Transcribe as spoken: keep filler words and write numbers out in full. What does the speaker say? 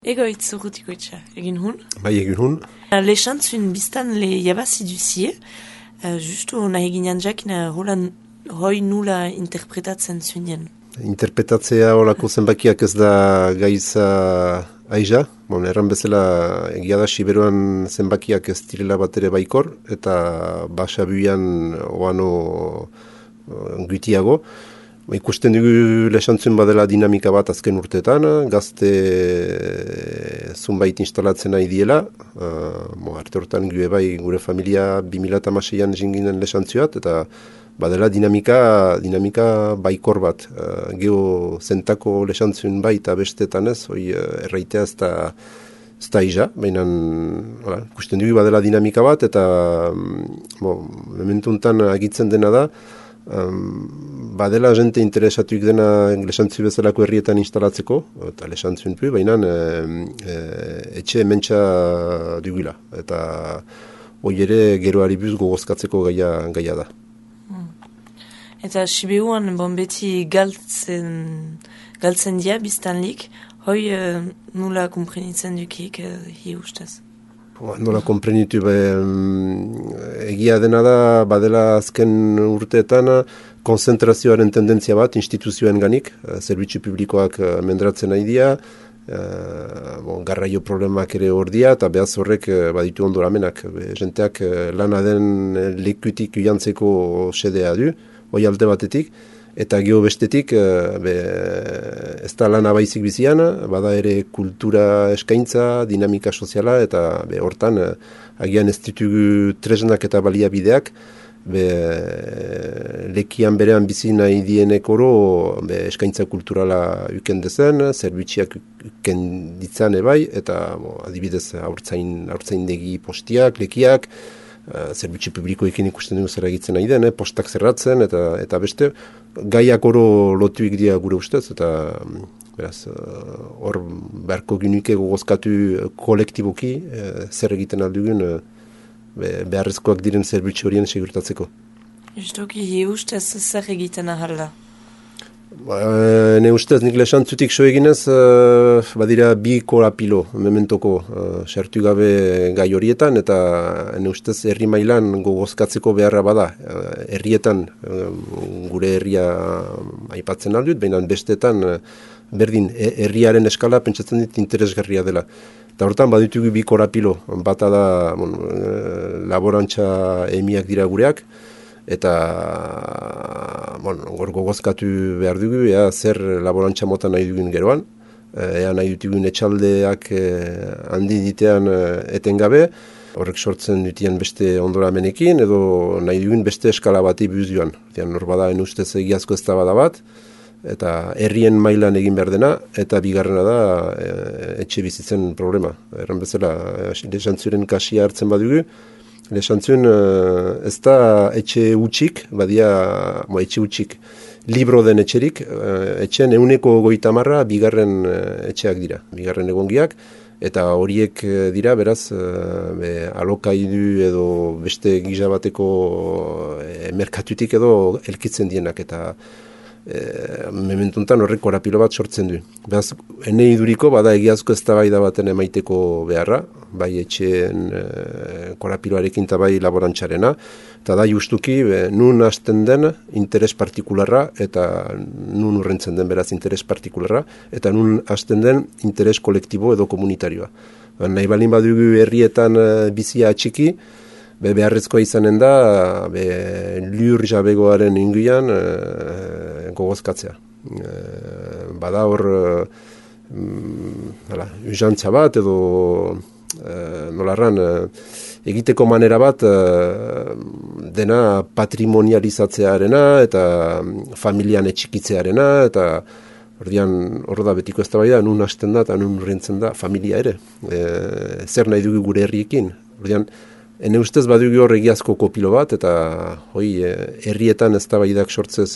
Egoitz urrutiko itxa, egin hun? Bai, egin hun. Lexantzun biztan le jabazi duzie, uh, justu nahi ginean jakin hoi nula interpretatzen zunien. Interpretatzea horako zenbakiak ez da gaiza aiza. Bon, erran bezala egia da Siberuan zenbakiak ez direla bat ere baikor, eta basabuian oano gutiago. Ikusten dugu Lexantzun badela dinamika bat azken urteetan, gazte zunbait instalatzen nahi diela. Uh, arte hortan gu bai gure familia bi mila hamaseian jinginen Lexantzuat, eta badela dinamika, dinamika baikor bat. Uh, Geo zentako Lexantzun bai eta bestetan ez, hoi uh, erraitea ez da, ez da iza, baina ikusten dugu badela dinamika bat, eta um, momentuntan agitzen dena da, Um, badela jente interesatuik dena Lexantzu bezalako herrietan instalatzeko, eta Lexantzun pu, baina e, e, etxe mentxa dugula, eta hoi ere geroari buz gogozkatzeko gaia, gaia da. Hmm. Eta Sibeuan bon beti galtzen, galtzen dia biztanlik, hoi e, nula komprenitzen dukik e, hi ustez? Nola konprenitu, be, egia dena da, badela azken urteetan konzentrazioaren tendentzia bat instituzioen ganik, zerbitzu publikoak mendratzen nahi dira, bon, garraio problemak ere hor dira, eta behaz horrek baditu ondoramenak. Jenteak lana den lekutik uiantzeko sedea du, hoi alde batetik, eta geho bestetik, be, ez da lana baizik bizian, bada ere kultura eskaintza, dinamika soziala, eta be, hortan, agian ez ditugu tresnak eta baliabideak, be, lekian berean bizi nahi dienek oro, be, eskaintza kulturala uken dezen, zerbitziak uken ditzan ebai, eta bo, adibidez haurtzain, haurtzaindegi postiak, lekiak, Uh, zerbitzu publikoekin ikusten dugu zer egitzen nahi den, eh? Postak zerratzen, eta, eta beste, gaiak oro lotuik dira gure ustez, eta beraz, hor uh, beharko ginuke gogozkatu kolektiboki, uh, zer egiten aldugun, uh, be, beharrezkoak diren zerbitzu horien segurtatzeko. Justoki, hi ustez zer egiten ahalda? Ba, ne ustez, nik Lexantzutik so eginez, uh, badira bi korapilo, mementoko, uh, sartu gabe gai horietan, eta ne ustez herri mailan gogozkatzeko beharra bada. Uh, herrietan, uh, gure herria aipatzen aldut, baina bestetan, uh, berdin, herriaren eskala pentsatzen dit interesgarria dela. Eta hortan baditugu bi korapilo, bata da, bon, uh, laborantza emiak dira gureak, eta bon, gor gogozkatu behar dugu, ea zer laborantza mota nahi dugun geroan, ea nahi dugun etxaldeak handi ditean etengabe, horrek sortzen dutien beste ondoramenekin, edo nahi dugun beste eskala bati buzioan. Hor bada, ustez egiazko ez da bada bat, eta herrien mailan egin behar dena, eta bigarrena da etxe bizitzen problema. Erran bezala, Lexantzuren kasia hartzen badugu, Lexantzun uh, ez da etxe utxik, badia mo, etxe utxik, libro den etxerik, uh, etxen euneko goita marra bigarren uh, etxeak dira, bigarren egongiak, eta horiek uh, dira, beraz, uh, be, alokaidu edo beste gizabateko uh, merkatutik edo elkitzen dienak, eta E, mementuntan horrek korapilo bat sortzen du. Beraz, ene iduriko bada egiazko eztabaida baten emaiteko beharra, bai etxeen e, korapiloarekin eta bai laborantzarena, eta da justuki be, nun hasten den interes partikularra eta nun urrentzen den beraz interes partikularra, eta nun hasten den interes kolektibo edo komunitarioa. Ba, nahi balin badugu herrietan e, bizia atxiki, Be beharrezkoa izanen da, be lur jabegoaren inguian e, gogozkatzea. E, bada hor, e, usantza bat edo e, nolarran, e, egiteko manera bat e, dena patrimonializatzearena eta familian etxikitzearena, eta ordian hor da betiko ez da bai da, nun hasten da eta nun urrentzen da familia ere. E, zer nahi dugu gure herriekin. Ordian, Ene ustez badugu hor egiazko kopilo bat, eta hoi, herrietan ez da baidak sortzez